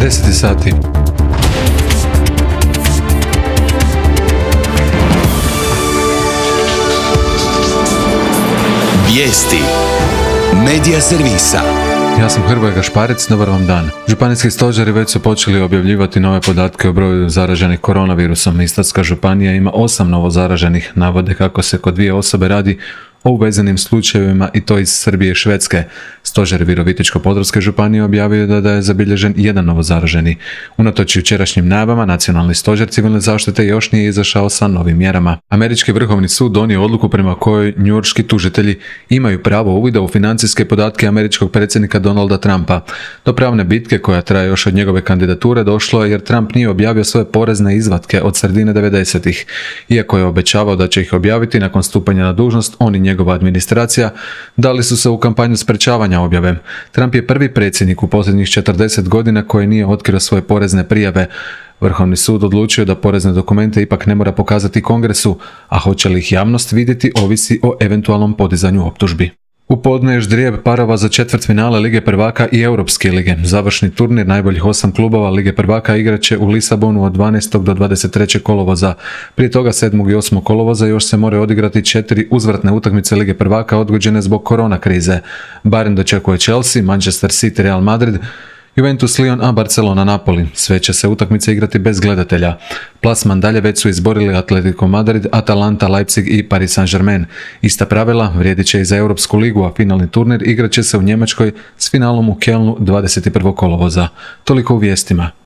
10 sati. Vijesti Medija servisa. Ja sam Hrvoje Gašparec, dobar vam dan. Županijski stožeri već su počeli objavljivati nove podatke o broju zaraženih koronavirusom. Istarska županija ima 8 novo zaraženih, navode kako se kod 2 osobe radi o uvezenim slučajevima i to iz Srbije i Švedske. Stožer Virovitičko-podravske županije objavio da je zabilježen 1 novo zaraženi. Unatoč jučerašnjim najavama, Nacionalni stožer civilne zaštite još nije izašao sa novim mjerama. Američki vrhovni sud donio odluku prema kojoj njujorški tužitelji imaju pravo uvida u financijske podatke američkog predsjednika Donalda Trumpa. Do pravne bitke koja traje još od njegove kandidature došlo je jer Trump nije objavio svoje porezne izvatke od sredine 90-ih. Iako je obećavao da će ih objaviti nakon stupanja na dužnost, on i njegova administracija dali su se u kampanju sprečavanja objave. Trump je prvi predsjednik u posljednjih 40 godina koji nije otkrio svoje porezne prijave. Vrhovni sud odlučio da porezne dokumente ipak ne mora pokazati Kongresu, a hoće li ih javnost vidjeti ovisi o eventualnom podizanju optužbi. U podne je ždrijeb parova za četvrtfinale Lige prvaka i Europske lige. Završni turnir najboljih 8 klubova Lige prvaka igraće u Lisabonu od 12. do 23. kolovoza. Prije toga 7. i 8. kolovoza još se moraju odigrati 4 uzvratne utakmice Lige prvaka odgođene zbog korona krize. Bayern dočekuje Chelsea, Manchester City, Real Madrid, Juventus, Lyon, a Barcelona, Napoli. Sve će se utakmice igrati bez gledatelja. Plasman dalje već su izborili Atletico Madrid, Atalanta, Leipzig i Paris Saint-Germain. Ista pravila vrijedit će i za Europsku ligu, a finalni turnir igrat će se u Njemačkoj s finalom u Kelnu 21. kolovoza. Toliko u vijestima.